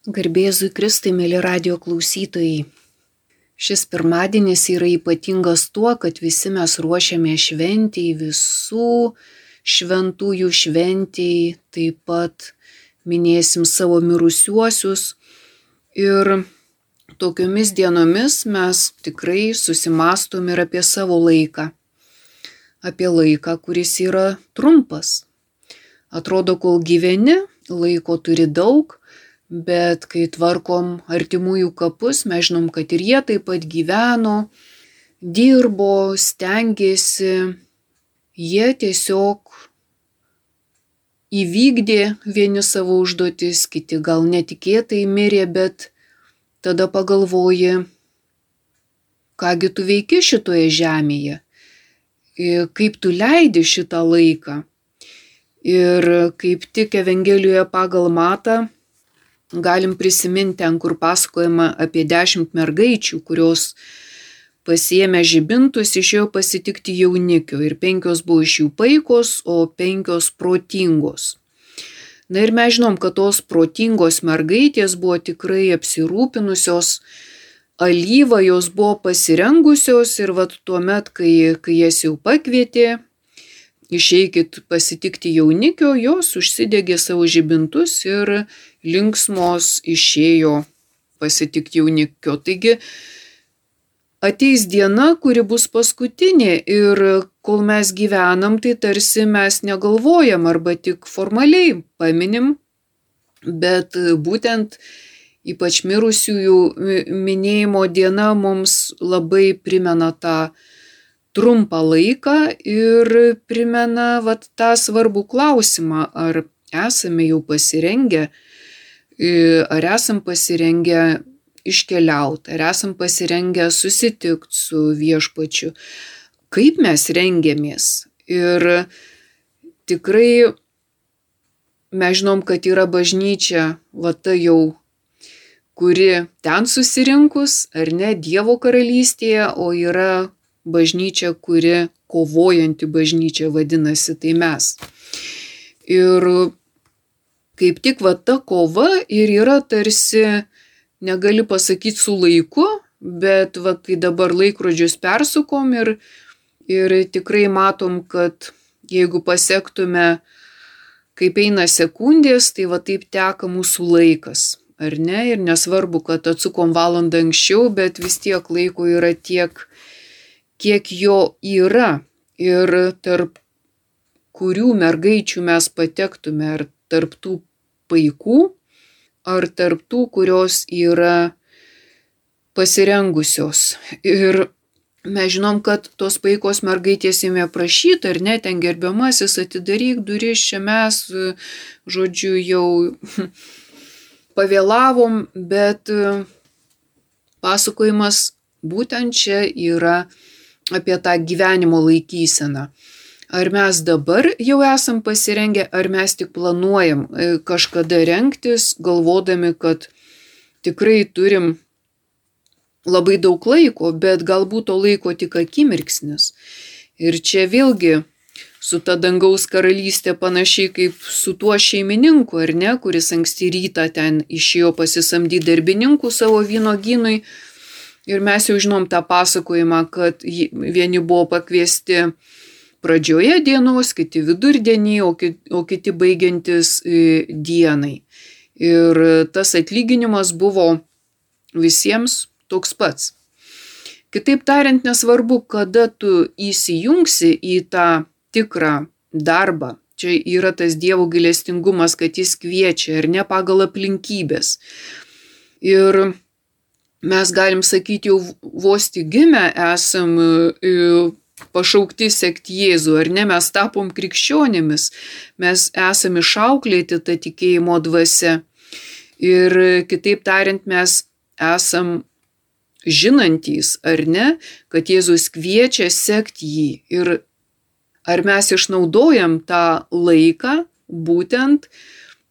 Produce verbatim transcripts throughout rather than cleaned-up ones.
Garbėzui Kristui, mėly radijo klausytojai. Šis pirmadienis yra ypatingas tuo, kad visi mes ruošiame šventijai, visų šventųjų šventijai, taip pat minėsim savo mirusiuosius. Ir tokiomis dienomis mes tikrai susimastom ir apie savo laiką. Apie laiką, kuris yra trumpas. Atrodo, kol gyveni, laiko turi daug, bet kai tvarkom artimųjų kapus, mes žinom, kad ir jie taip pat gyveno, dirbo, stengėsi. Jie tiesiog įvykdė vieni savo užduotis, kiti gal netikėtai mirė, bet tada pagalvoji, kągi tu veiki šitoje žemėje, kaip tu leidi šitą laiką. Ir kaip tik Evangelijoje pagal Matą galim prisiminti ten, kur pasakojama apie dešimt mergaičių, kurios pasiėmė žibintus, išėjo pasitikti jaunikio. Ir penkios buvo iš jų paikos, o penkios protingos. Na ir mes žinom, kad tos protingos mergaitės buvo tikrai apsirūpinusios alyvą, jos buvo pasirengusios ir vat tuomet, kai, kai jas jau pakvietė, išeikit pasitikti jaunikio, jos užsidegė savo žibintus ir linksmos išėjo pasitikti jaunikio. Taigi ateis diena, kuri bus paskutinė ir kol mes gyvenam, tai tarsi mes negalvojam arba tik formaliai paminim, bet būtent ypač mirusiųjų minėjimo diena mums labai primena tą trumpą laiką ir primena vat, tą svarbų klausimą, ar esame jau pasirengę, ar esam pasirengę iškeliauti, ar esam pasirengę susitikti su viešpačiu, kaip mes rengiamės. Ir tikrai mes žinom, kad yra bažnyčia, va ta jau, kuri ten susirinkus, ar ne, Dievo karalystėje, o yra bažnyčia, kuri kovojanti bažnyčia vadinasi, tai mes. Ir kaip tik va ta kova ir yra tarsi, negali pasakyti su laiku, bet va kai dabar laikrodžius persukom ir, ir tikrai matom, kad jeigu pasektume, kaip eina sekundės, tai va taip teka mūsų laikas, ar ne? Ir nesvarbu, kad atsukom valandą anksčiau, bet vis tiek laiko yra tiek, kiek jo yra. Ir tarp kurių mergaičių mes patektume, ar tarp tų paikų, ar tarp tų, kurios yra pasirengusios. Ir mes žinom, kad tos paikos mergaitės ėmė prašyti, ar ne, ten gerbiamasis, atidaryk duris, čia mes, žodžiu, jau pavėlavom, bet pasakojimas būtent čia yra apie tą gyvenimo laikyseną. Ar mes dabar jau esam pasirengę, ar mes tik planuojam kažkada rengtis, galvodami, kad tikrai turim labai daug laiko, bet galbūt to laiko tik akimirksnis. Ir čia vėlgi su ta dangaus karalystė panašiai kaip su tuo šeimininku, ar ne, kuris anksti rytą ten išėjo pasisamdyti darbininkų savo vynogynui. Ir mes jau žinom tą pasakojimą, kad vieni buvo pakviesti pradžioje dienos, kiti vidurdienį, o kiti, o kiti baigiantis dienai. Ir tas atlyginimas buvo visiems toks pats. Kitaip tariant, nesvarbu, kada tu įsijungsi į tą tikrą darbą. Čia yra tas Dievo gailestingumas, kad jis kviečia, ar ne, pagal aplinkybės. Ir mes galim sakyti, jau vos tik gimę esam pašaukti sekti Jėzų, ar ne, mes tapom krikščionimis, mes esam išauklėti tą tikėjimo dvasią. Ir kitaip tariant, mes esam žinantys, ar ne, kad Jėzus kviečia sekti jį. Ir ar mes išnaudojam tą laiką būtent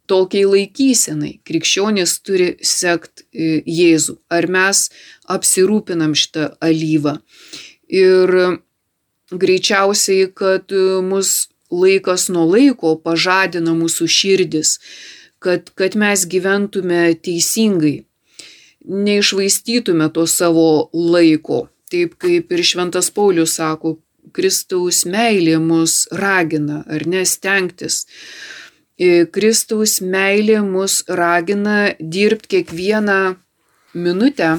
tokiai laikysenai. Krikščionis turi sekti Jėzų. Ar mes apsirūpinam šitą alyvą. Ir greičiausiai, kad mus laikas nuo laiko pažadina mūsų širdis, kad, kad mes gyventume teisingai, neišvaistytume to savo laiko. Taip kaip ir Šventas Paulius sako, Kristaus meilė mus ragina, ar ne, stengtis. Kristaus meilė mus ragina dirbti kiekvieną minutę,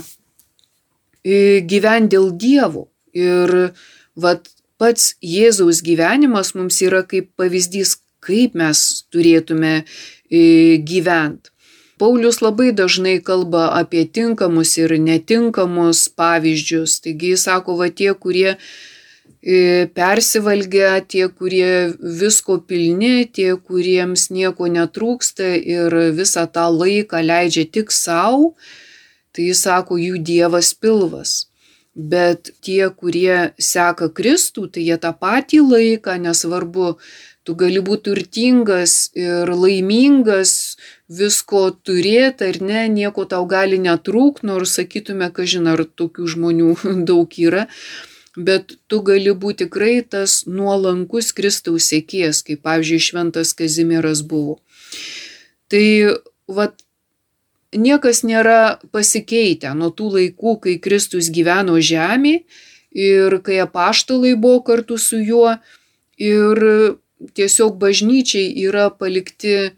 gyventi dėl Dievo. Ir vat, pats Jėzaus gyvenimas mums yra kaip pavyzdys, kaip mes turėtume gyventi. Paulius labai dažnai kalba apie tinkamus ir netinkamus pavyzdžius. Taigi jis sako, va tie, kurie persivalgia, tie, kurie visko pilni, tie, kuriems nieko netrūksta ir visą tą laiką leidžia tik savo, tai jis sako, jų Dievas pilvas. Bet tie, kurie seka Kristų, tai jie tą patį laiką, nesvarbu, tu gali būti turtingas ir laimingas, visko turėti ar ne, nieko tau gali netrūkti, nors sakytume, kažin ar tokių žmonių daug yra, bet tu gali būti tikrai tas nuolankus Kristaus sekėjas, kaip pavyzdžiui Šventas Kazimieras buvo. Tai vat, niekas nėra pasikeitę nuo tų laikų, kai Kristus gyveno žemėje ir kai apaštalai buvo kartu su juo ir tiesiog bažnyčiai yra palikti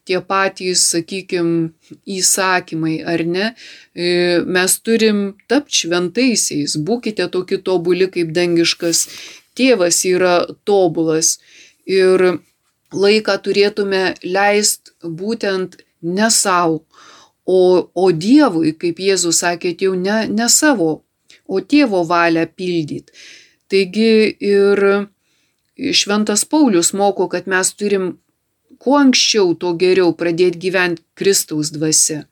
tie patys, sakykime, įsakymai, ar ne? Mes turim tapti šventaisiais, būkite tokie tobuli, kaip dangiškas tėvas yra tobulas. Ir laiką turėtume leisti būtent ne savo, o, o Dievui, kaip Jėzus sakė, jau ne, ne savo, o tėvo valią pildyti. Taigi ir Šventas Paulius moko, kad mes turim kuo anksčiau, to geriau pradėti gyventi Kristaus dvasia.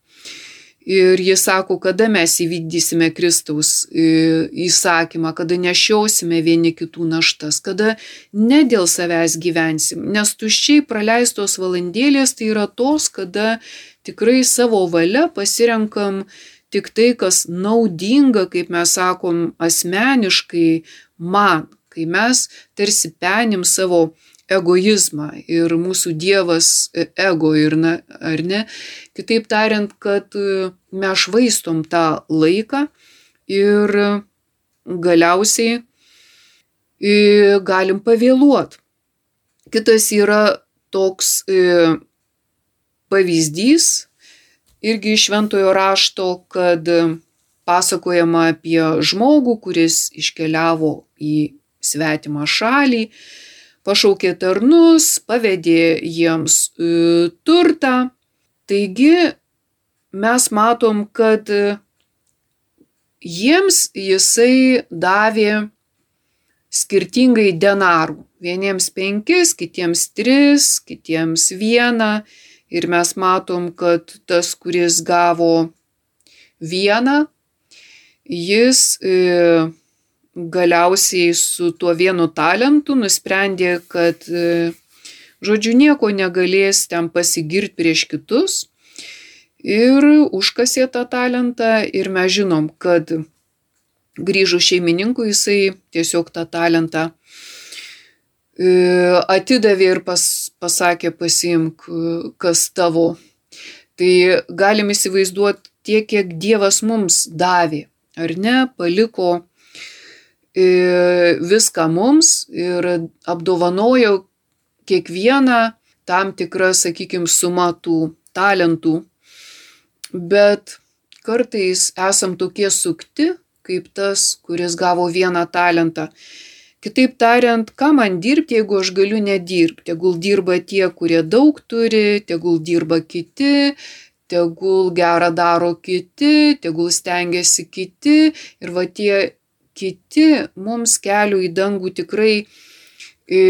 Ir jis sako, kada mes įvykdysime Kristaus įsakymą, kada nešiosime vieni kitų naštas, kada ne dėl savęs gyvensim. Nes tuščiai praleistos valandėlės tai yra tos, kada tikrai savo valia pasirenkam tik tai, kas naudinga, kaip mes sakom, asmeniškai man, kai mes tarsi penim savo egoizmą ir mūsų Dievas ego ir na, ar ne. Kitaip tariant, kad mes švaistom tą laiką ir galiausiai galim pavėluoti. Kitas yra toks pavyzdys irgi iš Šventojo rašto, kad pasakojama apie žmogų, kuris iškeliavo į svetimą šalį, pašaukė tarnus, pavedė jiems e, turtą. Taigi mes matom, kad jiems jisai davė skirtingai denarų. Vieniems penkis, kitiems tris, kitiems vieną. Ir mes matom, kad tas, kuris gavo vieną, jis e, galiausiai su tuo vienu talentu nusprendė, kad, žodžiu, nieko negalės ten pasigirti prieš kitus ir užkasė tą talentą ir mes žinom, kad grįžus šeimininkui jisai tiesiog tą talentą atidavė ir pas, pasakė, pasiimk, kas tavo. Tai galim įsivaizduoti tiek, kiek Dievas mums davė, ar ne, paliko viską mums ir apdovanojo kiekvieną tam tikrą, sakykime, sumą tų talentų. Bet kartais esam tokie sukti, kaip tas, kuris gavo vieną talentą. Kitaip tariant, ką man dirbti, jeigu aš galiu nedirbti? Tegul dirba tie, kurie daug turi, tegul dirba kiti, tegul gerą daro kiti, tegul stengiasi kiti ir va tie kiti mums kelių į dangų tikrai e,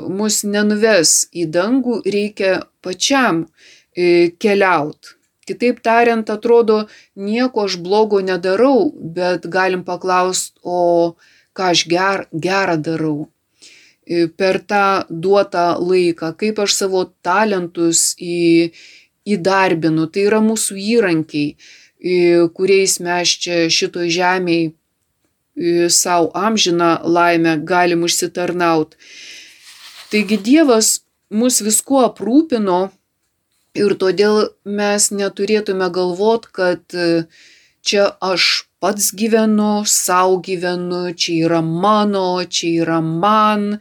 mus nenuves į dangų, reikia pačiam e, keliauti. Kitaip tariant, atrodo, nieko aš blogo nedarau, bet galim paklausti, o ką aš ger, gerą darau e, per tą duotą laiką, kaip aš savo talentus į, įdarbinu. Tai yra mūsų įrankiai, e, kuriais mes čia šitoj žemėje savo amžiną laimę galim užsitarnauti. Taigi Dievas mus viskuo aprūpino Ir todėl mes neturėtume galvot, kad čia aš pats gyvenu, sau gyvenu, čia yra mano, čia yra man,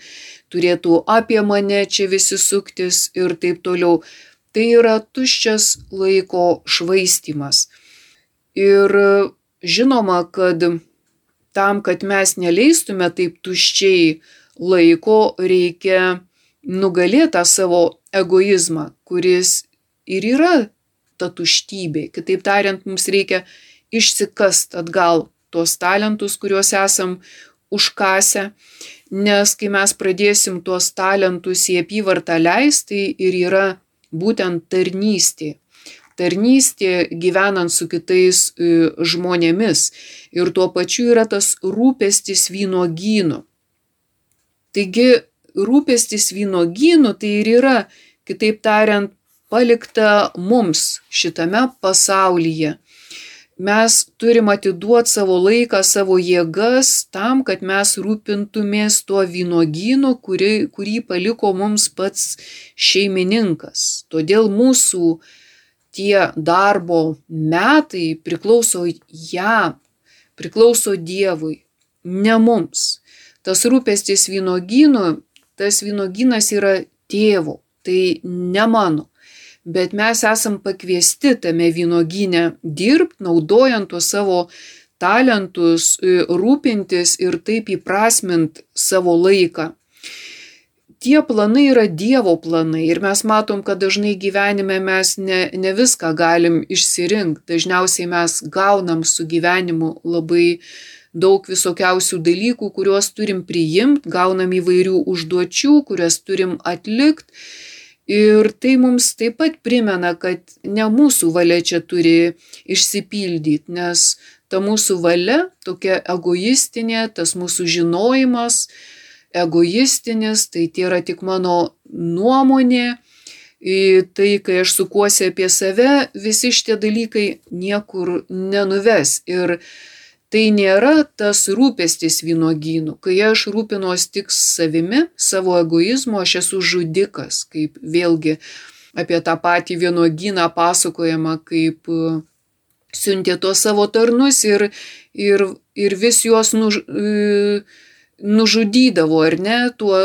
turėtų apie mane čia visi suktis ir taip toliau. Tai yra tuščias laiko švaistymas. Ir žinoma, kad tam, kad mes neleistume taip tuščiai laiko, reikia nugalėti tą savo egoizmą, kuris ir yra ta tuštybė. Kitaip tariant, mums reikia išsikast atgal tuos talentus, kuriuos esam užkasę, nes kai mes pradėsim tuos talentus į apyvartą leisti, tai ir yra būtent tarnystė. Tarnystė gyvenant su kitais žmonėmis ir tuo pačiu yra tas rūpestis vynuogynu. Taigi rūpestis vynuogynu tai ir yra, kitaip tariant, palikta mums šitame pasaulyje. Mes turim atiduoti savo laiką, savo jėgas tam, kad mes rūpintumės tuo vynuogynu, kurį, kurį paliko mums pats šeimininkas. Todėl mūsų tie darbo metai priklauso jam, priklauso Dievui, ne mums. Tas rūpestis vynuogynu, tas vynuogynas yra Tėvo, tai ne mano. Bet mes esam pakviesti tame vynuogyne dirbti, naudojant tuos savo talentus, rūpintis ir taip įprasmint savo laiką. Tie planai yra Dievo planai ir mes matom, kad dažnai gyvenime mes ne, ne viską galim išsirinkti. Dažniausiai mes gaunam su gyvenimu labai daug visokiausių dalykų, kuriuos turim priimti, gaunam įvairių užduočių, kurias turim atlikti. Ir tai mums taip pat primena, kad ne mūsų valia čia turi išsipildyti, nes ta mūsų valia tokia egoistinė, tas mūsų žinojimas egoistinis, tai tai yra tik mano nuomonė. Tai, kai aš sukuosi apie save, visi šitie dalykai niekur nenuves. Ir tai nėra tas rūpestis vynuogynu. Kai aš rūpinuos tik savimi, savo egoizmu, aš esu žudikas, kaip vėlgi apie tą patį vynuogyną pasakojama, kaip siuntė tuos savo tarnus ir, ir, ir vis juos nuž, nužudydavo, ar ne, tuo,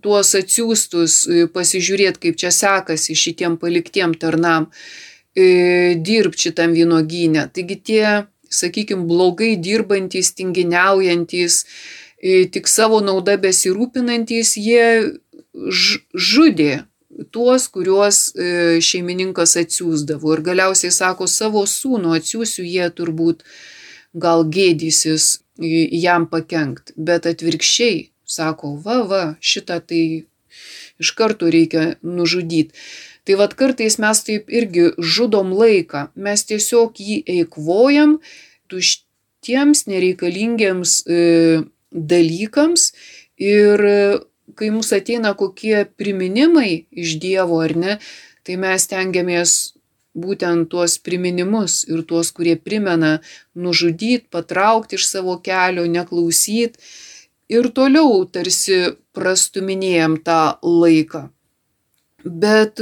tuos atsiųstus pasižiūrėti, kaip čia sekasi šitiem paliktiem tarnam dirbti šitam vynuogyne. Taigi tie, sakykime, blogai dirbantys, tinginiaujantys, tik savo nauda besirūpinantys, jie žudė tuos, kuriuos šeimininkas atsiųsdavo. Ir galiausiai sako, savo sūnų atsiųsiu, jie turbūt gal gėdysis jam pakenkt. Bet atvirkščiai sako, va, va, šitą tai iš karto reikia nužudyti. Tai vat kartais mes taip irgi žudom laiką, mes tiesiog jį eikvojam tuštiems nereikalingiems e, dalykams ir kai mums ateina kokie priminimai iš Dievo, ar ne, tai mes tengiamės būtent tuos priminimus ir tuos, kurie primena, nužudyti, patraukti iš savo kelio, neklausyti ir toliau tarsi prastuminėjam tą laiką. Bet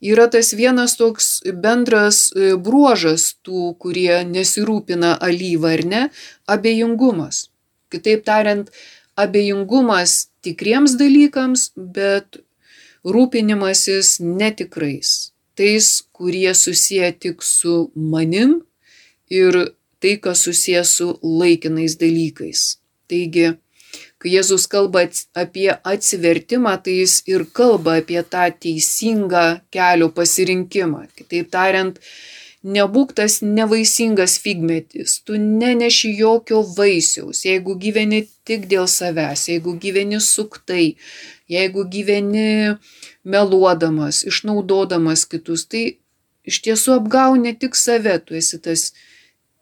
yra tas vienas toks bendras bruožas tų, kurie nesirūpina alyva, ar ne, abejingumas. Kitaip tariant, abejingumas tikriems dalykams, bet rūpinimasis netikrais. Tais, kurie susiję tik su manim ir tai, kas susiję su laikinais dalykais. Taigi, kai Jėzus kalba apie atsivertimą, tai jis ir kalba apie tą teisingą kelio pasirinkimą. Kitaip tariant, nebūk tas nevaisingas figmetis, tu neneši jokio vaisiaus, jeigu gyveni tik dėl savęs, jeigu gyveni suktai, jeigu gyveni meluodamas, išnaudodamas kitus, tai iš tiesų apgauni tik save, tu esi tas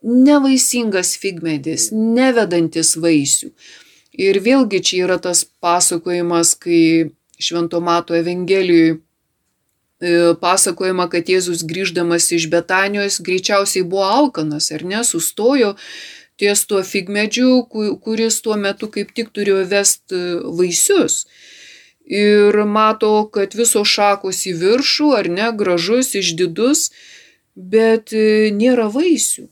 nevaisingas figmedis, nevedantis vaisių. Ir vėlgi čia yra tas pasakojimas, kai Švento Mato Evangelijoje pasakojama, kad Jėzus grįždamas iš Betanijos greičiausiai buvo alkanas, ar ne, sustojo ties tuo figmedžiu, kuris tuo metu kaip tik turėjo vesti vaisius. ir mato, kad visos šakos į viršų, ar ne, gražus, išdidus, bet nėra vaisių.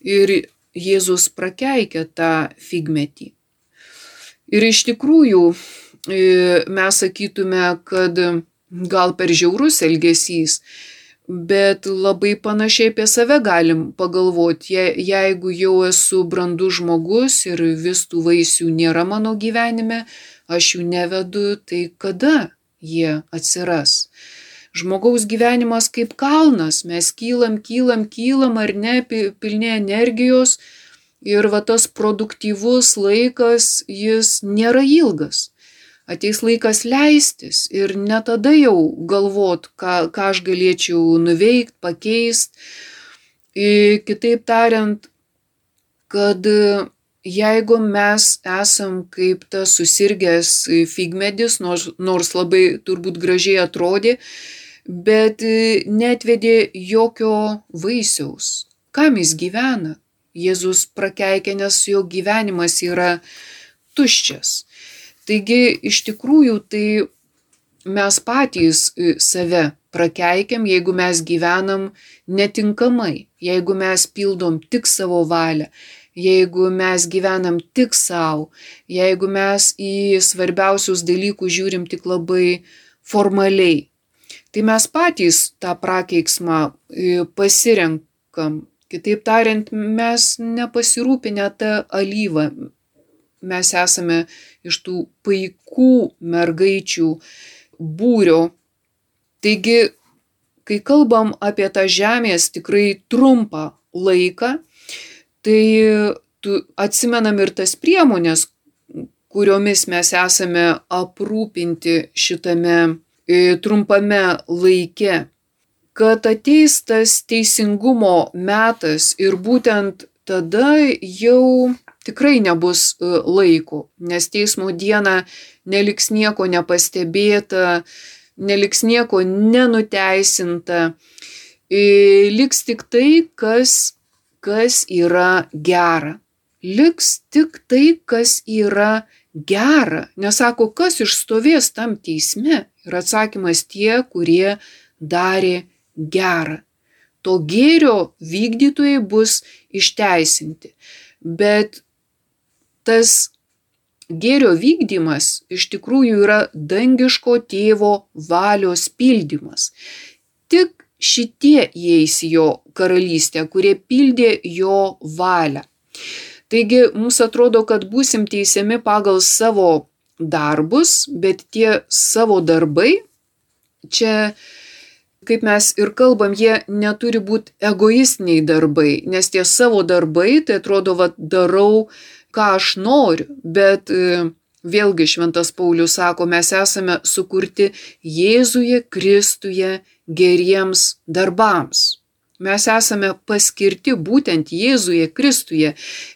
Ir Jėzus prakeikia tą figmetį. Ir iš tikrųjų mes sakytume, kad gal per žiaurus elgesys, bet labai panašiai apie save galim pagalvoti. Je, jeigu jau esu brandus žmogus ir vis tų vaisių nėra mano gyvenime, aš jų nevedu, tai kada jie atsiras? Žmogaus gyvenimas kaip kalnas, mes kylam, kylam, kylam ar ne, pilni energijos ir va tas produktyvus laikas, jis nėra ilgas. Ateis laikas leistis ir ne tada jau galvot, ką, ką aš galėčiau nuveikt, pakeist. Ir kitaip tariant, kad jeigu mes esam kaip tas susirgęs figmedis, nors, nors labai turbūt gražiai atrodė, bet netvedė jokio vaisiaus. Kam jis gyvena? Jėzus prakeikia, nes jo gyvenimas yra tuščias. Taigi, iš tikrųjų, tai mes patys save prakeikiam, jeigu mes gyvenam netinkamai, jeigu mes pildom tik savo valią, jeigu mes gyvenam tik savo, jeigu mes į svarbiausius dalykus žiūrim tik labai formaliai. Tai mes patys tą prakeiksmą pasirenkam. Kitaip tariant, mes nepasirūpinę tą alyvą. Mes esame iš tų paikų mergaičių būrio. Taigi, kai kalbam apie tą žemės tikrai trumpą laiką, tai atsimenam ir tas priemonės, kuriomis mes esame aprūpinti šitame trumpame laike, kad ateis tas teisingumo metas ir būtent tada jau tikrai nebus laiko, nes teismo dieną neliks nieko nepastebėta, neliks nieko nenuteisinta, liks tik tai, kas, kas yra gera. Liks tik tai, kas yra gera. Nesako, kas išstovės tam teisme. Ir atsakymas tie, kurie darė gera. To gėrio vykdytojai bus išteisinti. Bet tas gėrio vykdymas iš tikrųjų yra dangiško tėvo valios pildymas. Tik šitie įeis į jo karalystę, kurie pildė jo valią. Taigi mums atrodo, kad būsim teisiami pagal savo darbus, bet tie savo darbai, čia, kaip mes ir kalbam, jie neturi būti egoistiniai darbai, nes tie savo darbai, tai atrodo, va, darau, ką aš noriu, bet vėlgi Šventas Paulius sako, mes esame sukurti Jėzuje Kristuje geriems darbams. Mes esame paskirti būtent Jėzuje Kristuje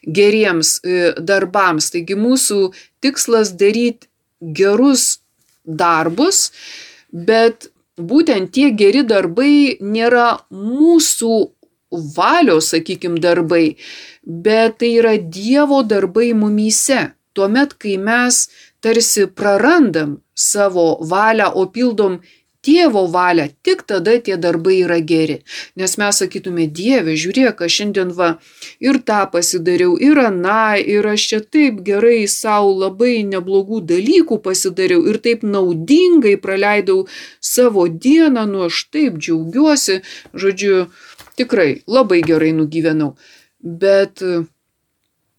geriems darbams. Taigi mūsų tikslas daryti gerus darbus, bet būtent tie geri darbai nėra mūsų valios, sakykim, darbai, bet tai yra Dievo darbai mumyse. Tuomet, kai mes tarsi prarandam savo valią, o pildom Tėvo valią, tik tada tie darbai yra geri. Nes mes sakytume, Dieve, žiūrėk, aš šiandien va ir tą pasidariau, ir aną, ir aš čia taip gerai savo labai neblogų dalykų pasidariau ir taip naudingai praleidau savo dieną, nu aš taip džiaugiuosi, žodžiu, tikrai labai gerai nugyvenau. Bet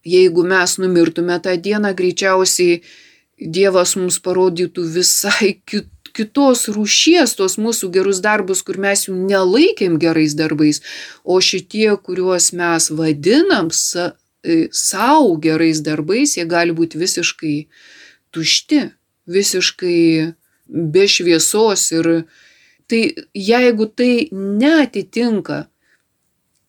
jeigu mes numirtume tą dieną, greičiausiai Dievas mums parodytų visai kitų kitos rūšies tos mūsų gerus darbus, kur mes jų nelaikėm gerais darbais, o šitie, kuriuos mes vadinam sa, savo gerais darbais, jie gali būti visiškai tušti, visiškai be šviesos. Ir tai, jeigu tai neatitinka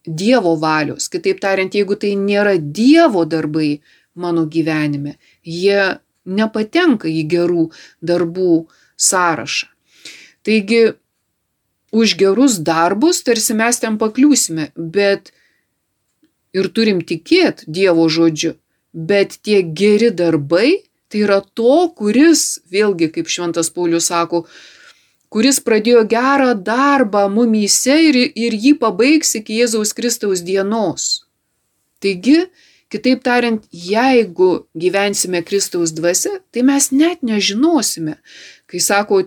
Dievo valios, kitaip tariant, jeigu tai nėra Dievo darbai mano gyvenime, jie nepatenka į gerų darbų sąrašą. Taigi, už gerus darbus tarsi mes ten pakliūsime, bet ir turim tikėti Dievo žodžiu, bet tie geri darbai, Tai yra to, kuris, vėlgi, kaip šventas Paulius sako, kuris pradėjo gerą darbą mumyse ir, ir jį pabaigs iki Jėzaus Kristaus dienos. Taigi, kitaip tariant, jeigu gyvensime Kristaus dvasia, tai mes net nežinosime. Kai sako,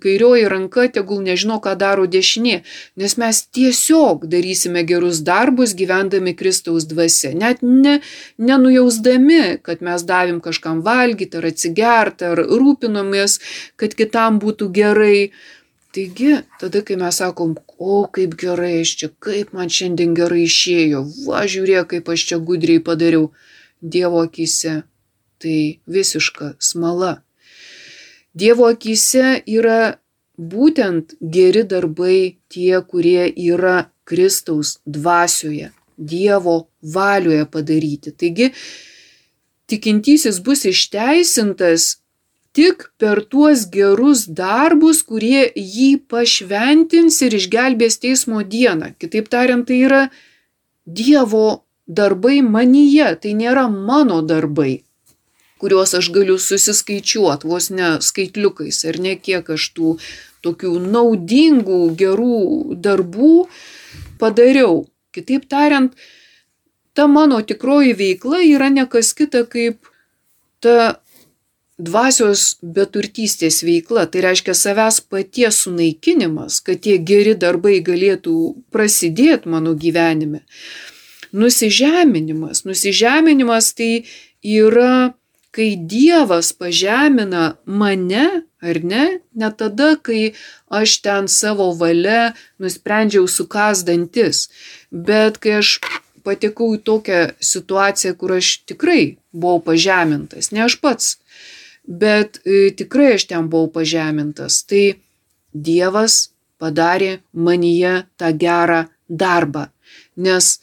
kairioji ranka tegul nežino, ką daro dešinė, nes mes tiesiog darysime gerus darbus gyvendami Kristaus dvasia, net ne, nenujausdami, kad mes davėm kažkam valgyti ar atsigerti, ar rūpinomės, kad kitam būtų gerai. Taigi, tada, kai mes sakom, o kaip gerai aš čia, kaip man šiandien gerai išėjo, va žiūrėk, kaip aš čia gudriai padariau, Dievo akyse tai visiška smala. Dievo akyse yra būtent geri darbai tie, kurie yra Kristaus dvasioje, Dievo valioje padaryti. Taigi, tikintysis bus išteisintas tik per tuos gerus darbus, kurie jį pašventins ir išgelbės teismo dieną. Kitaip tariant, tai yra Dievo darbai manyje, tai nėra mano darbai, kuriuos aš galiu susiskaičiuoti, vos ne skaitliukais, ar ne kiek aš tų tokių naudingų, gerų darbų padariau. Kitaip tariant, ta mano tikroji veikla yra ne kas kita kaip ta dvasios beturtystės veikla. Tai reiškia savęs paties sunaikinimas, kad tie geri darbai galėtų prasidėti mano gyvenime. Nusižeminimas. Nusižeminimas tai yra kai Dievas pažemina mane, ar ne, ne tada, kai aš ten savo valia nusprendžiau sukąst dantis, bet kai aš patekau į tokią situaciją, kur aš tikrai buvau pažemintas, ne aš pats, bet e, tikrai aš ten buvau pažemintas, tai Dievas padarė manyje tą gerą darbą, nes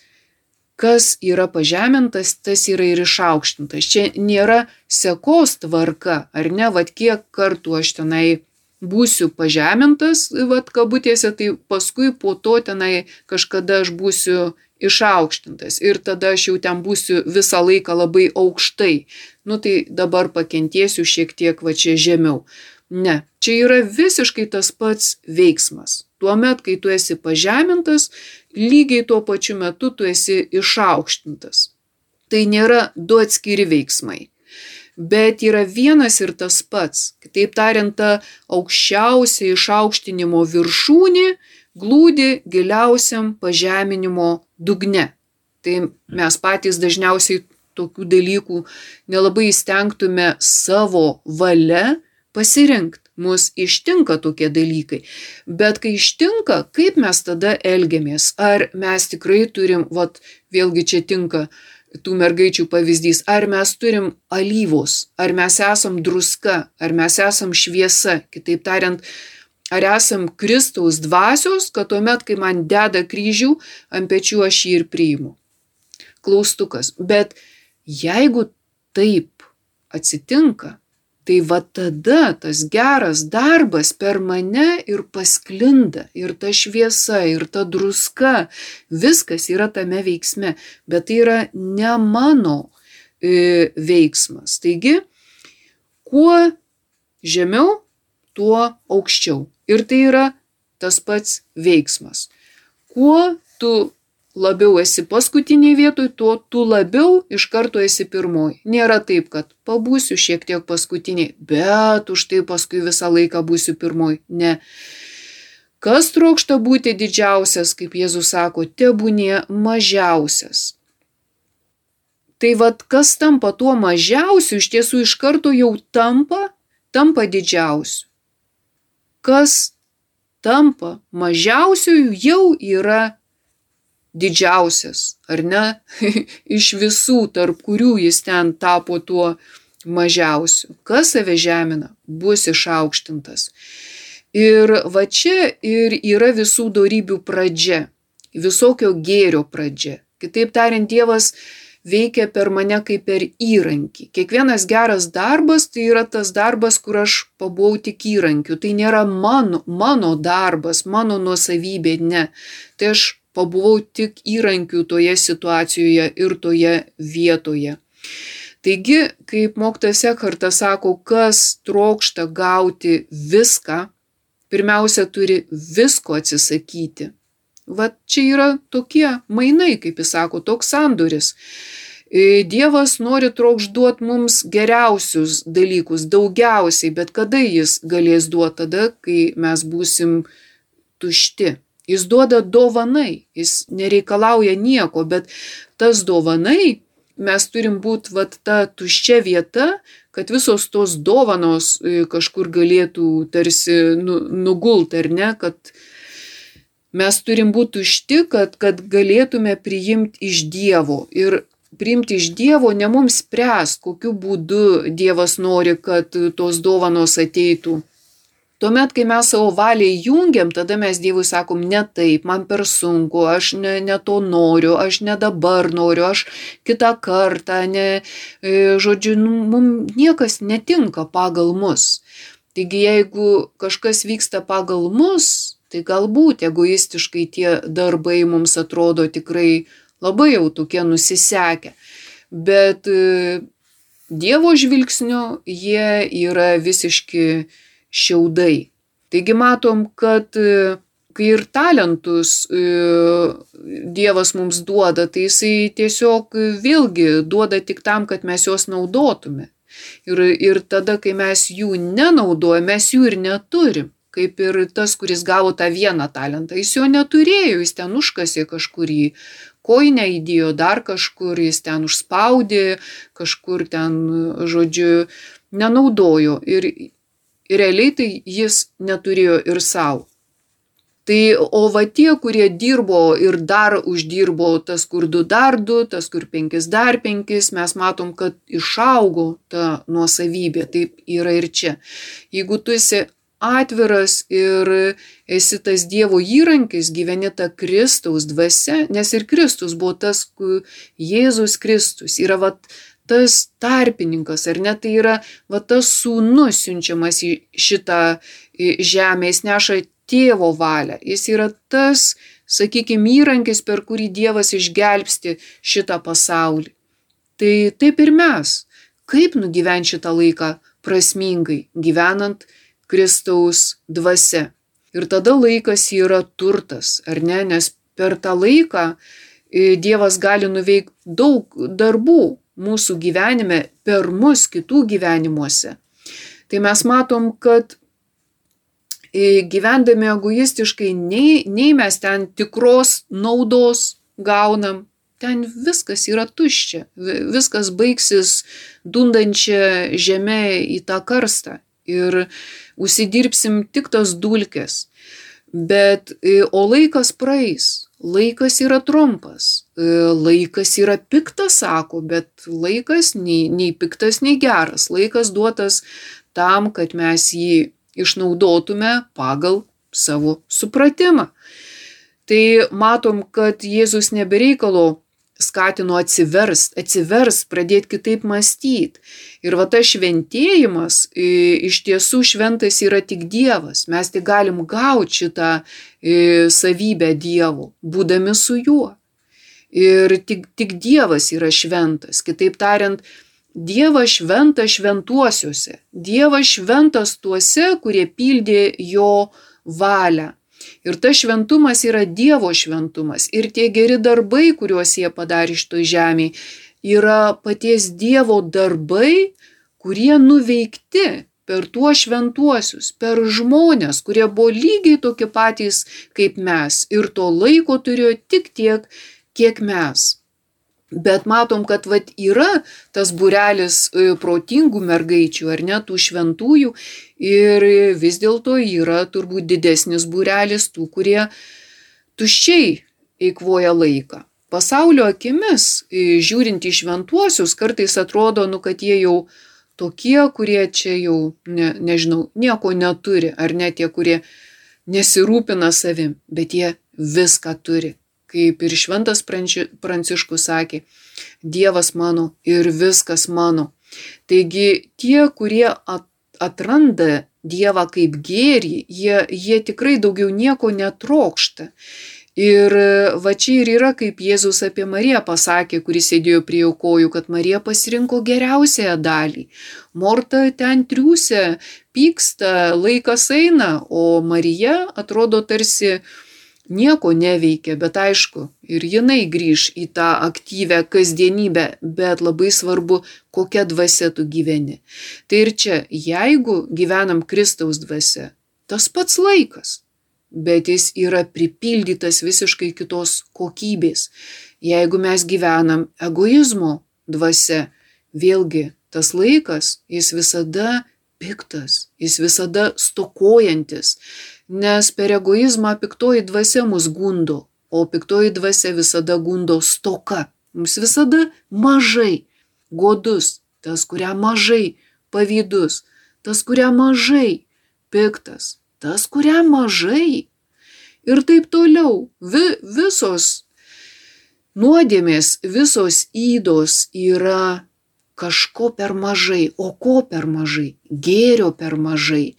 kas yra pažemintas, tas yra ir išaukštintas. Čia nėra sekos tvarka, ar ne, vat kiek kartų aš tenai būsiu pažemintas, vat kabutėse, tai paskui po to tenai kažkada aš būsiu išaukštintas ir tada aš jau ten būsiu visą laiką labai aukštai. Nu tai dabar pakentėsiu šiek tiek va čia žemiau. Ne, čia yra visiškai tas pats veiksmas. Tuomet, kai tu esi pažemintas, lygiai tuo pačiu metu tu esi išaukštintas. Tai nėra du atskiri veiksmai, bet yra vienas ir tas pats. Kitaip tariant, ta aukščiausia išaukštinimo viršūnė glūdi giliausiam pažeminimo dugne. Tai mes patys dažniausiai tokių dalykų nelabai įstengtume savo valia pasirinkti. Mus ištinka tokie dalykai. Bet kai ištinka, kaip mes tada elgiamės? Ar mes tikrai turim, vat, vėlgi čia tinka tų mergaičių pavyzdys, ar mes turim alyvos, ar mes esam druska, ar mes esam šviesa, kitaip tariant, ar esam Kristaus dvasios, kad tuomet, kai man deda kryžių, ant pečių aš jį ir priimu. Klaustukas. Bet jeigu taip atsitinka, tai va tada tas geras darbas per mane ir pasklinda, ir ta šviesa, ir ta druska, viskas yra tame veiksme, bet tai yra ne mano e, veiksmas. Taigi, kuo žemiau, tuo aukščiau. Ir tai yra tas pats veiksmas. Kuo tu labiau esi paskutiniai vietoj, tuo tu labiau iš karto esi pirmoji. Nėra taip, kad pabūsiu šiek tiek paskutiniai, bet už tai paskui visą laiką būsiu pirmoji. Ne. Kas trokšta būti didžiausias, kaip Jėzus sako, tebūnie mažiausias. Tai vat, kas tampa tuo mažiausiu, iš tiesų iš karto jau tampa, tampa didžiausiu. Kas tampa mažiausiu, jau yra didžiausias, ar ne, iš visų, tarp kurių jis ten tapo tuo mažiausiu. Kas save žemina, bus išaukštintas. Ir va čia ir yra visų dorybių pradžia, visokio gėrio pradžia. Kitaip tariant, Dievas veikia per mane kaip per įrankį. Kiekvienas geras darbas tai yra tas darbas, kur aš pabuvau tik įrankiu. Tai nėra mano, mano darbas, mano nuosavybė, ne. Tai aš pabuvau tik įrankiu toje situacijoje ir toje vietoje. Taigi, kaip mokytojas Ekhartas sako, kas trokšta gauti viską, pirmiausia turi visko atsisakyti. Vat čia yra tokie mainai, kaip jis sako, toks sandoris. Dievas nori trokš duoti mums geriausius dalykus, daugiausiai, bet kada jis galės duoti? Tada, kai mes būsim tušti. Jis duoda dovanai, jis nereikalauja nieko, bet tas dovanai mes turim būti vat ta tuščia vieta, kad visos tos dovanos kažkur galėtų tarsi nu, nugult, ar ne, kad mes turim būti tušti, kad, kad galėtume priimti iš Dievo. Ir priimti iš Dievo ne mums spręs, kokiu būdu Dievas nori, kad tos dovanos ateitų. Tuomet, kai mes savo valiai jungiam, tada mes Dievui sakom, ne taip, man per sunku, aš ne, ne to noriu, aš ne dabar noriu, aš kitą kartą, ne, žodžiu, mums niekas netinka pagal mus. Taigi, jeigu kažkas vyksta pagal mus, tai galbūt egoistiškai tie darbai mums atrodo tikrai labai jau tokie nusisekę. Bet Dievo žvilgsniu jie yra visiški šiaudai. Taigi matom, kad kai ir talentus Dievas mums duoda, tai jisai tiesiog vėlgi duoda tik tam, kad mes juos naudotume. Ir, ir tada, kai mes jų nenaudojame, mes jų ir neturim. Kaip ir tas, kuris gavo tą vieną talentą. Jis jo neturėjo, jis ten užkasė kažkurį koinę, įdėjo dar kažkur, jis ten užspaudė, kažkur ten, žodžiu, nenaudojo. Ir realiai tai jis neturėjo ir savo. Tai o va tie, kurie dirbo ir dar uždirbo, tas kur du dar du, tas kur penkis dar penkis, mes matom, kad išaugo ta nuosavybė. Taip yra ir čia. Jeigu tu esi atviras ir esi tas Dievo įrankis, gyveni tą Kristaus dvasia, nes ir Kristus buvo tas, Jėzus Kristus yra va tas tarpininkas, ar ne, tai yra va tas sūnus siunčiamas į šitą žemę, jis neša Tėvo valią, jis yra tas, sakykime, įrankis, per kurį Dievas išgelbsti šitą pasaulį. Tai taip ir mes, kaip nugyventi šitą laiką prasmingai, gyvenant Kristaus dvasia. Ir tada laikas yra turtas, ar ne, nes per tą laiką Dievas gali nuveikti daug darbų mūsų gyvenime, per mus kitų gyvenimuose. Tai mes matom, kad gyvendami egoistiškai, nei, nei mes ten tikros naudos gaunam, ten viskas yra tuščia, viskas baigsis dundančia žeme į tą karstą ir užsidirbsim tik tas dulkes. Bet, o laikas praeis, laikas yra trumpas, laikas yra piktas, sako, bet laikas nei, nei piktas, nei geras, laikas duotas tam, kad mes jį išnaudotume pagal savo supratimą. Tai matom, kad Jėzus nebereikalo skatino atsiverst, atsiverst, pradėti kitaip mąstyti. Ir va tas šventėjimas, iš tiesų šventas yra tik Dievas. Mes tik galim gauti šitą savybę Dievo, būdami su juo. Ir tik, tik Dievas yra šventas. Kitaip tariant, Dievas šventas šventuosiuose. Dievas šventas tuose, kurie pildė jo valią. Ir tas šventumas yra Dievo šventumas. Ir tie geri darbai, kuriuos jie padarė šitoj žemėje, yra paties Dievo darbai, kurie nuveikti per tuos šventuosius, per žmonės, kurie buvo lygiai tokie patys kaip mes. Ir to laiko turėjo tik tiek, kiek mes. Bet matom, kad vat yra tas būrelis protingų mergaičių, ar ne, tų šventųjų, ir vis dėlto yra turbūt didesnis būrelis tų, kurie tuščiai eikvoja laiką. Pasaulio akimis, žiūrint į šventuosius, kartais atrodo, nu, kad jie jau tokie, kurie čia jau, ne, nežinau, nieko neturi, ar ne tie, kurie nesirūpina savim, bet jie viską turi. Kaip ir šventas Pranciškus sakė, Dievas mano ir viskas mano. Taigi tie, kurie atranda Dievą kaip gėrį, jie, jie tikrai daugiau nieko netrokšta. Ir va čia ir yra, kaip Jėzus apie Mariją pasakė, kuris sėdėjo prie jo kojų, kad Marija pasirinko geriausiąją dalį. Morta ten triūsia, pyksta, laikas eina, o Marija atrodo tarsi nieko neveikia, bet aišku, ir jinai grįž į tą aktyvę kasdienybę, bet labai svarbu, kokia dvasia tu gyveni. Tai ir čia, jeigu gyvenam Kristaus dvasia, tas pats laikas, bet jis yra pripildytas visiškai kitos kokybės. Jeigu mes gyvenam egoizmo dvasia, vėlgi tas laikas, jis visada piktas, jis visada stokojantis, nes per egoizmą piktoji dvasia mus gundo, o piktoji dvasia visada gundo stoka. Mums visada mažai, godus, tas, kuriam mažai, pavydus, tas, kuriam mažai, piktas, tas, kuriam mažai. Ir taip toliau. Vi, visos nuodėmės, visos ydos yra kažko per mažai. O ko per mažai? Gėrio per mažai.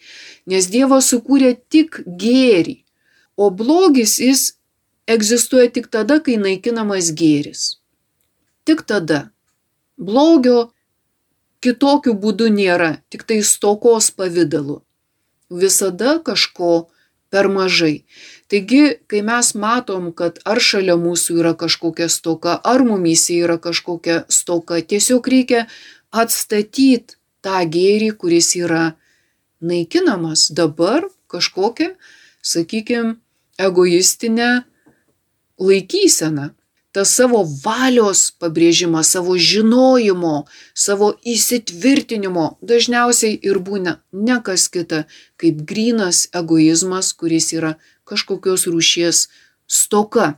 Nes Dievas sukūrė tik gėrį. O blogis jis egzistuoja tik tada, kai naikinamas gėris. Tik tada. Blogio kitokiu būdu nėra, tik tai stokos pavidalu. Visada kažko per mažai. Taigi, kai mes matom, kad ar šalia mūsų yra kažkokia stoka, ar mumyse yra kažkokia stoka, tiesiog reikia atstatyti tą gėrį, kuris yra naikinamas dabar kažkokią, sakykime, egoistinę laikyseną. Tas savo valios pabrėžimas, savo žinojimo, savo įsitvirtinimo dažniausiai ir būna ne kas kita, kaip grynas egoizmas, kuris yra kažkokios rūšies stoka.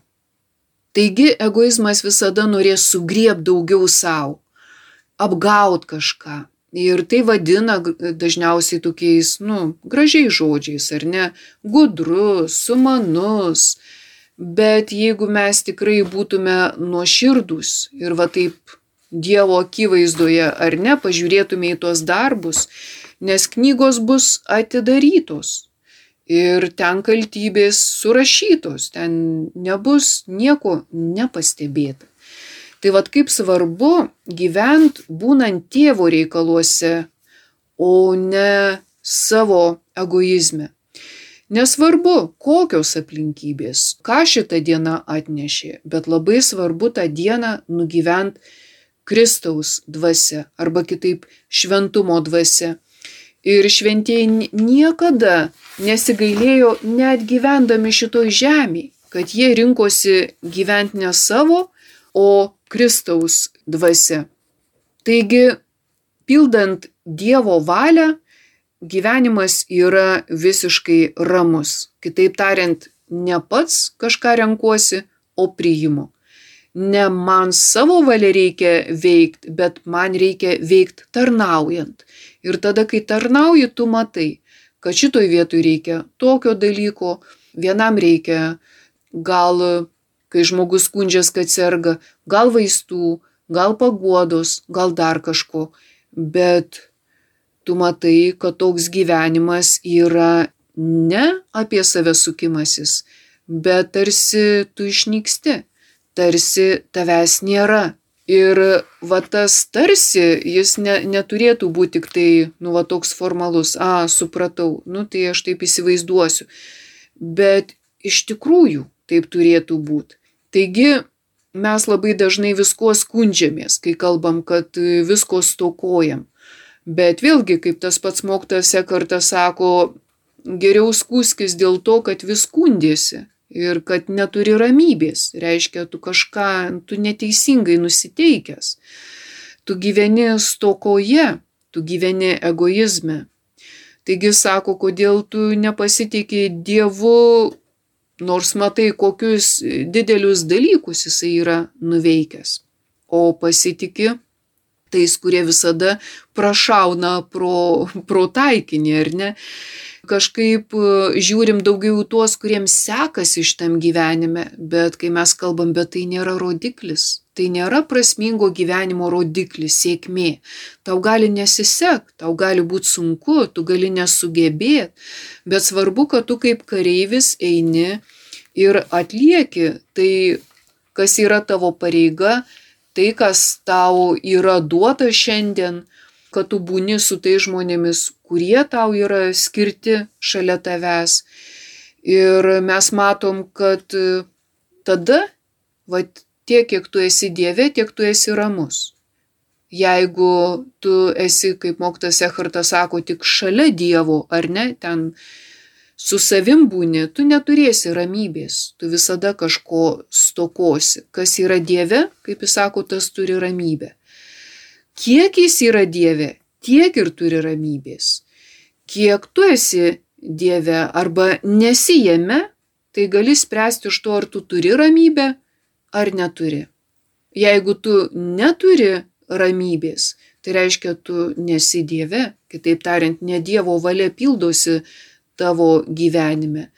Taigi egoizmas visada norės sugriebti daugiau savo, apgaut kažką. Ir tai vadina dažniausiai tokiais, nu, gražiais žodžiais, ar ne, gudrus, sumanus. Bet jeigu mes tikrai būtume nuoširdūs ir va taip Dievo akivaizdoje ar ne, pažiūrėtume į tuos darbus, nes knygos bus atidarytos ir ten kaltybės surašytos, ten nebus nieko nepastebėta. Tai vat kaip svarbu gyventi būnant Tėvo reikaluose, o ne savo egoizme. Nesvarbu, kokios aplinkybės, ką šitą dieną atnešė, bet labai svarbu tą dieną nugyventi Kristaus dvasia arba kitaip šventumo dvasia. Ir šventieji niekada nesigailėjo net gyvendami šitoj žemėje, kad jie rinkosi gyventi ne savo, o Kristaus dvasia. Taigi, pildant Dievo valią, gyvenimas yra visiškai ramus. Kitaip tariant, ne pats kažką renkuosi, o priimu. Ne man savo valia reikia veikti, bet man reikia veikti tarnaujant. Ir tada, kai tarnauji, tu matai, kad šitoj vietoj reikia tokio dalyko, vienam reikia gal, kai žmogus skundžias, kad serga, gal vaistų, gal paguodos, gal dar kažko, bet tu matai, kad toks gyvenimas yra ne apie save sukimasis, bet tarsi tu išnyksti, tarsi tavęs nėra. Ir va tas tarsi, jis ne, neturėtų būti tik tai, nu va toks formalus, a, supratau, nu tai aš taip įsivaizduosiu. Bet iš tikrųjų taip turėtų būti. Taigi mes labai dažnai visko skundžiamės, kai kalbam, kad visko stokojam. Bet vėlgi, kaip tas pats mokytojas Ekartas sako, geriau skųskis dėl to, kad vis skundėsi ir kad neturi ramybės. Reiškia, tu kažką, tu neteisingai nusiteikęs. Tu gyveni stokoje, tu gyveni egoizme. Taigi sako, kodėl tu nepasitikė Dievu, nors matai, kokius didelius dalykus jisai yra nuveikęs. O pasitikė tais, kurie visada prašauna pro, pro taikinį, ar ne? Kažkaip žiūrim daugiau tuos, kuriems sekasi šitam gyvenime, bet kai mes kalbam, bet tai nėra rodiklis, tai nėra prasmingo gyvenimo rodiklis, sėkmė. Tau gali nesisekt, tau gali būti sunku, tu gali nesugebėti, bet svarbu, kad tu kaip kareivis eini ir atlieki tai, kas yra tavo pareiga, tai, kas tau yra duota šiandien, kad tu būni su tai žmonėmis, kurie tau yra skirti šalia tavęs. Ir mes matom, kad tada, va, tiek, kiek tu esi Dieve, tiek tu esi ramus. Jeigu tu esi, kaip mokytojas Ekhartas sako, tik šalia Dievo, ar ne, ten su savim būni, tu neturėsi ramybės, tu visada kažko stokosi. Kas yra Dieve, kaip jis sako, tas turi ramybę. Kiek jis yra Dieve, tiek ir turi ramybės. Kiek tu esi Dieve arba nesi jame, tai gali spręsti iš to, ar tu turi ramybę, ar neturi. Jeigu tu neturi ramybės, tai reiškia, tu nesi Dieve, kitaip tariant, ne Dievo valia pildosi tavo gyvenime.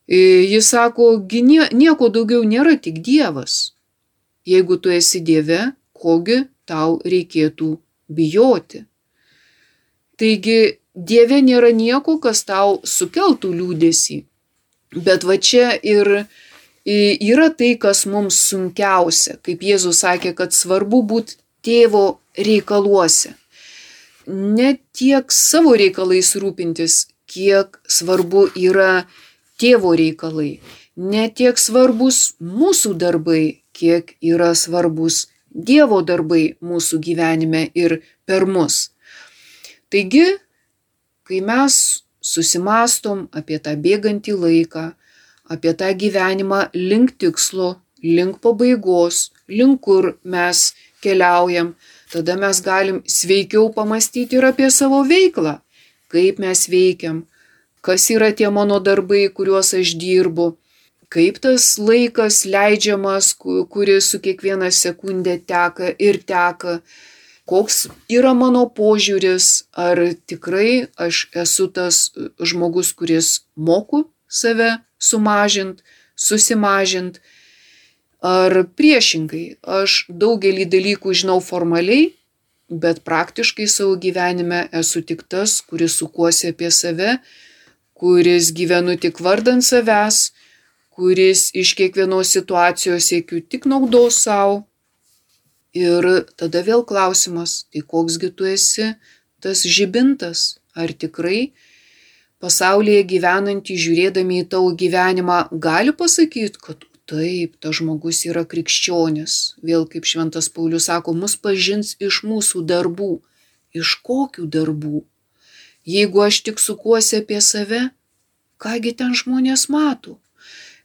Jis sako, nieko daugiau nėra, tik Dievas. Jeigu tu esi Dieve, kogi tau reikėtų bijoti. Taigi, Dieve nėra nieko, kas tau sukeltų liūdesį. Bet va čia ir yra tai, kas mums sunkiausia. Kaip Jėzus sakė, kad svarbu būti tėvo reikaluose. Ne tiek savo reikalais rūpintis, kiek svarbu yra tėvo reikalai. Ne tiek svarbus mūsų darbai, kiek yra svarbus Dievo darbai mūsų gyvenime ir per mus. Taigi, kai mes susimastom apie tą bėgantį laiką, apie tą gyvenimą link tikslo, link pabaigos, link kur mes keliaujam, tada mes galim sveikiau pamastyti ir apie savo veiklą, kaip mes veikiam, kas yra tie mano darbai, kuriuos aš dirbu, kaip tas laikas leidžiamas, kuris su kiekviena sekundė teka ir teka, koks yra mano požiūris, ar tikrai aš esu tas žmogus, kuris moku save sumažint, susimažint, ar priešingai, aš daugelį dalykų žinau formaliai, bet praktiškai savo gyvenime esu tik tas, kuris sukuosi apie save, kuris gyvenu tik vardant savęs, kuris iš kiekvienos situacijos siekiu tik naudos savo. Ir tada vėl klausimas, tai koksgi tu esi tas žibintas, ar tikrai pasaulyje gyvenantys, žiūrėdami į tavo gyvenimą, gali pasakyti, kad taip, tas žmogus yra krikščionis. Vėl kaip šventas Paulius sako, mus pažins iš mūsų darbų. Iš kokių darbų? Jeigu aš tik sukuosi apie save, kągi ten žmonės mato?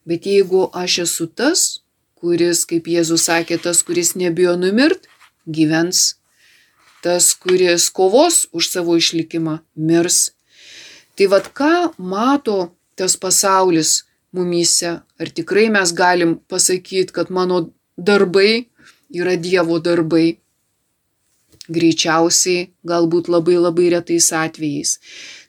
Bet jeigu aš esu tas, kuris, kaip Jėzus sakė, tas, kuris nebijo numirt, gyvens. Tas, kuris kovos už savo išlikimą, mirs. Tai vad ką mato tas pasaulis mumyse? Ar tikrai mes galim pasakyti, kad mano darbai yra Dievo darbai? Greičiausiai, galbūt labai labai retais atvejais.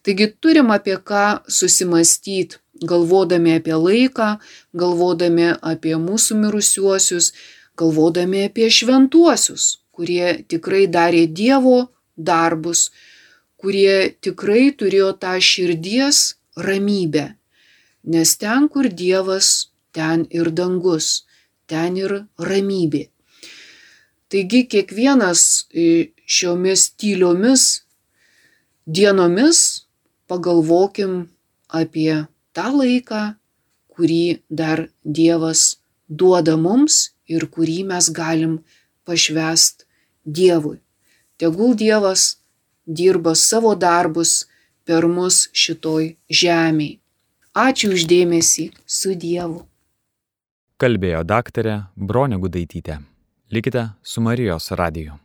Taigi turim apie ką susimastyti, galvodami apie laiką, galvodami apie mūsų mirusiuosius, galvodami apie šventuosius, kurie tikrai darė Dievo darbus, kurie tikrai turėjo tą širdies ramybę. Nes ten, kur Dievas, ten ir dangus, ten ir ramybė. Taigi kiekvienas šiomis tyliomis dienomis pagalvokim apie tą laiką, kurį dar Dievas duoda mums ir kurį mes galim pašvęst Dievui. Tegul Dievas dirba savo darbus per mus šitoj žemėj. Ačiū už dėmesį, su Dievu. Kalbėjo daktarė Bronė Gudaitytė. Likite su Marijos radiju.